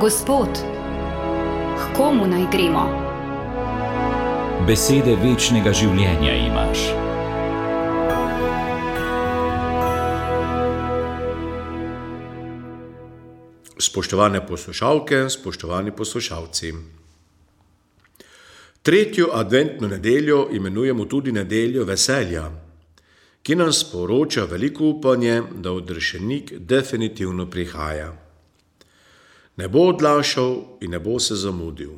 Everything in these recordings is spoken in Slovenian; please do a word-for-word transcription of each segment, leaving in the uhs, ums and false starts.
Gospod, k komu naj gremo? Besede večnega življenja imaš. Spoštovane poslušalke, spoštovani poslušalci. Tretjo adventno nedeljo imenujemo tudi nedeljo veselja, ki nam sporoča veliko upanje, da odrešenik definitivno prihaja. Ne bo odlašal in ne bo se zamudil,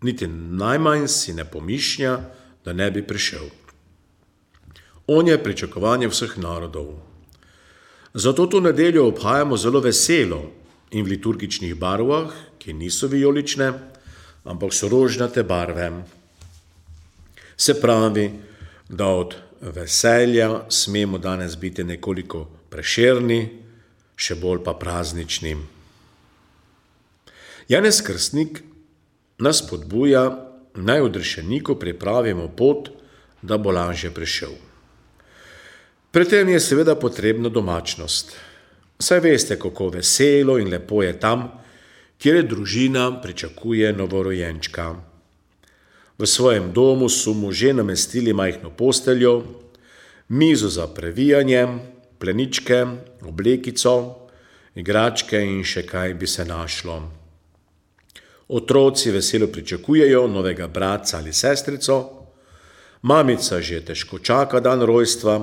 niti najmanj si ne pomišlja, da ne bi prišel. On je pričakovanje vseh narodov. Zato to nedeljo obhajamo zelo veselo in v liturgičnih barvah, ki niso vijolične, ampak so rožnate barve. Se pravi, da od veselja smemo danes biti nekoliko prešerni, še bolj pa praznični. Janez Krstnik nas spodbuja, naj odrešeniku pripravimo pot, da bo lažje prišel. Pri tem je seveda potrebna domačnost. Saj veste, kako veselo in lepo je tam, kjer družina pričakuje novorojenčka. V svojem domu so mu že namestili majhno posteljo, mizo za previjanje, pleničke, oblekico, igračke in še kaj bi se našlo. Otroci veselo pričakujejo novega bratca ali sestrico, mamica že težko čaka dan rojstva,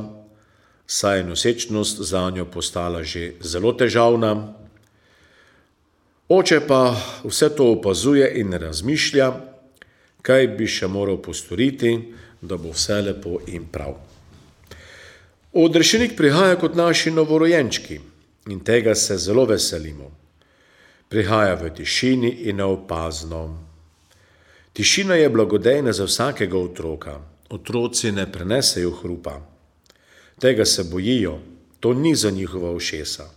saj je nosečnost zanjo postala že zelo težavna. Oče pa vse to opazuje in razmišlja, kaj bi še moral postoriti, da bo vse lepo in prav. Odrešenik prihaja kot naši novorojenčki in tega se zelo veselimo. Prihaja v tišini in neopazno. Tišina je blagodejna za vsakega otroka. Otroci ne prenesejo hrupa. Tega se bojijo, to ni za njihova ušesa.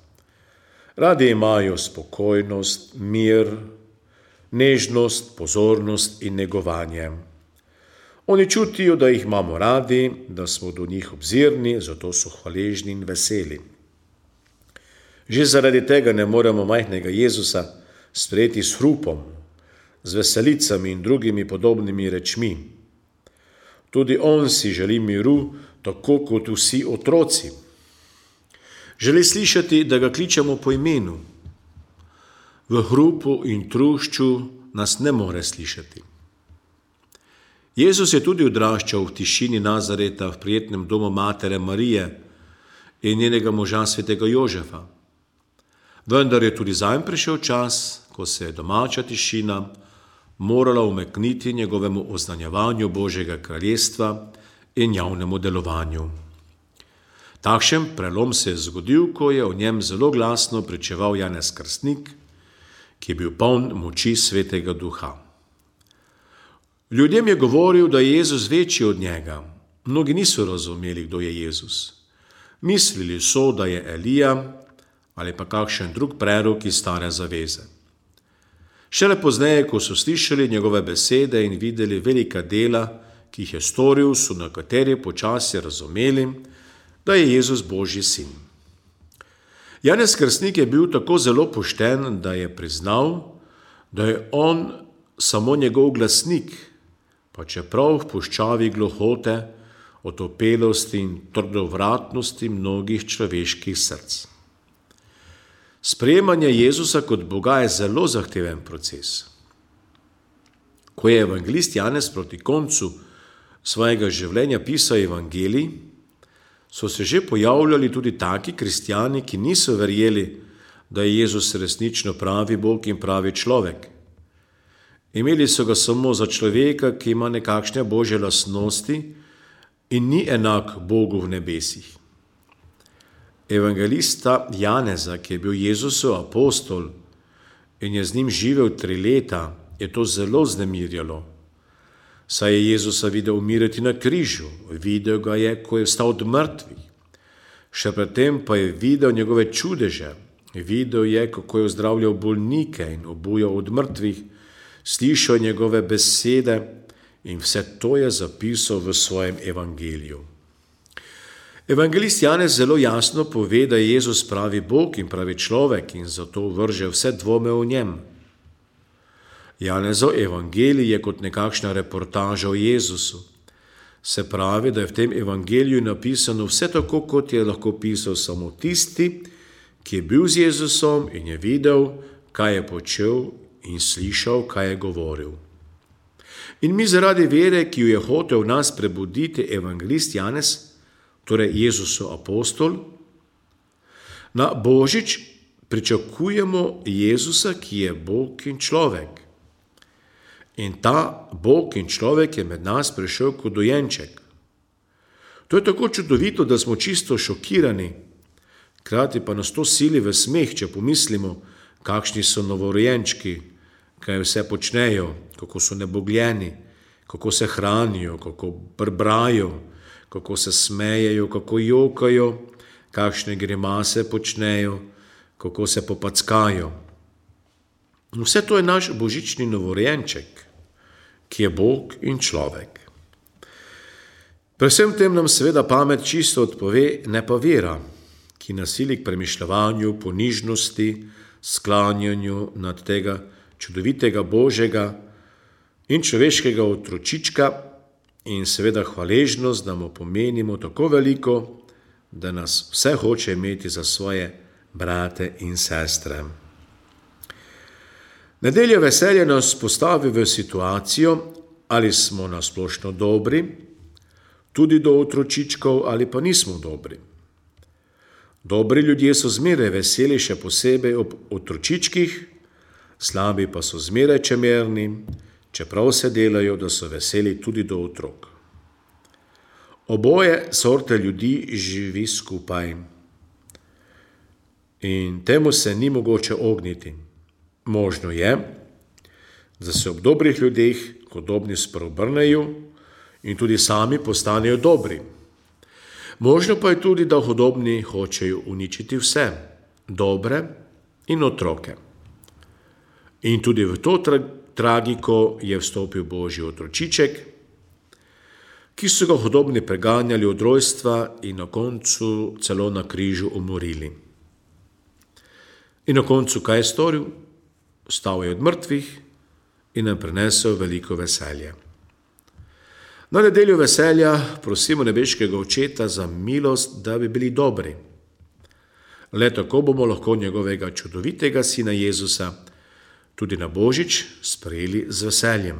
Radi imajo spokojnost, mir, nežnost, pozornost in negovanje. Oni čutijo, da jih imamo radi, da smo do njih obzirni, zato so hvaležni in veseli. Že zaradi tega ne moremo majhnega Jezusa sprejeti s hrupom, z veselicami in drugimi podobnimi rečmi. Tudi on si želi miru, tako kot vsi otroci. Želi slišati, da ga kličemo po imenu. V hrupu in trušču nas ne more slišati. Jezus je tudi odraščal v tišini Nazareta v prijetnem domu matere Marije in njenega moža svetega Jožefa. Vendar je tudi zanj prišel čas, ko se je domača tišina morala umekniti njegovemu oznanjevanju Božjega kraljestva in javnemu delovanju. Takšen prelom se je zgodil, ko je o njem zelo glasno pričeval Janez Krstnik, ki je bil poln moči Svetega Duha. Ljudem je govoril, da je Jezus večji od njega. Mnogi niso razumeli, kdo je Jezus. Mislili so, da je Elija ali pa kakšen drug prerok iz stare zaveze. Šele pozneje, ko so slišali njegove besede in videli velika dela, ki jih je storil, so nekateri počasi razumeli, da je Jezus Božji sin. Janez Krstnik je bil tako zelo pošten, da je priznal, da je on samo njegov glasnik, pa čeprav v puščavi gluhote, otopelosti in trdovratnosti mnogih človeških src. Sprejemanje Jezusa kot Boga je zelo zahteven proces. Ko je evangelist Janez proti koncu svojega življenja pisal evangelij, so se že pojavljali tudi taki kristjani, ki niso verjeli, da je Jezus resnično pravi Bog in pravi človek. Imeli so ga samo za človeka, ki ima nekakšne božje lastnosti in ni enak Bogu v nebesih. Evangelista Janeza, ki je bil Jezusov apostol in je z njim živel tri leta, je to zelo vznemirjalo. Saj je Jezusa videl umirati na križu, videl ga je, ko je vstal od mrtvih. Še predtem pa je videl njegove čudeže, videl je, kako je ozdravljal bolnike in obujal od mrtvih, slišal njegove besede in vse to je zapisal v svojem evangeliju. Evangelist Janez zelo jasno pove, da je Jezus pravi Bog in pravi človek in zato vrže vse dvome v njem. Janezov evangelij je kot nekakšna reportaža o Jezusu. Se pravi, da je v tem evangeliju napisano vse tako, kot je lahko pisal samo tisti, ki je bil z Jezusom in je videl, kaj je počel in slišal, kaj je govoril. In mi zaradi vere, ki jo je hotel v nas prebuditi evangelist Janez, torej Jezusov apostol, na Božič pričakujemo Jezusa, ki je Bog in človek. In ta Bog in človek je med nas prišel kot dojenček. To je tako čudovito, da smo čisto šokirani, hkrati pa nas to sili v smeh, če pomislimo, kakšni so novorojenčki, kaj vse počnejo, kako so nebogljeni, kako se hranijo, kako brbrajo, kako se smejejo, kako jokajo, kakšne grimase počnejo, kako se popackajo. Vse to je naš božični novorojenček, ki je Bog in človek. Pri vsem tem nam seveda pamet čisto odpove, ne pa vera, ki nasili k premišljavanju, ponižnosti, sklanjanju nad tega čudovitega Božjega in človeškega otročička in seveda hvaležnost, da mu pomenimo tako veliko, da nas vse hoče imeti za svoje brate in sestre. Nedelja veselja nas postavi v situacijo, ali smo nasplošno dobri, tudi do otročičkov, ali pa nismo dobri. Dobri ljudje so zmeraj veseli, še posebej ob otročičkih, slabi pa so zmeraj čemerni, čeprav se delajo, da so veseli tudi do otrok. Oboje sorte ljudi živi skupaj in temu se ni mogoče ogniti. Možno je, da se ob dobrih ljudeh hudobni spreobrnejo in tudi sami postanejo dobri. Možno pa je tudi, da hudobni hočejo uničiti vse, dobre in otroke. In tudi v to tra- tragiko je vstopil Božji otročiček, ki so ga hudobni preganjali od rojstva in na koncu celo na križu umorili. In na koncu kaj je storil? Vstal je od mrtvih in nam prinesel veliko veselje. Na nedeljo veselja prosimo nebeškega Očeta za milost, da bi bili dobri. Le tako bomo lahko njegovega čudovitega sina Jezusa tudi na Božič sprejeli z veseljem.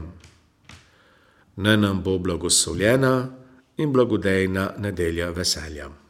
Naj nam bo blagoslovljena in blagodejna nedelja veselja.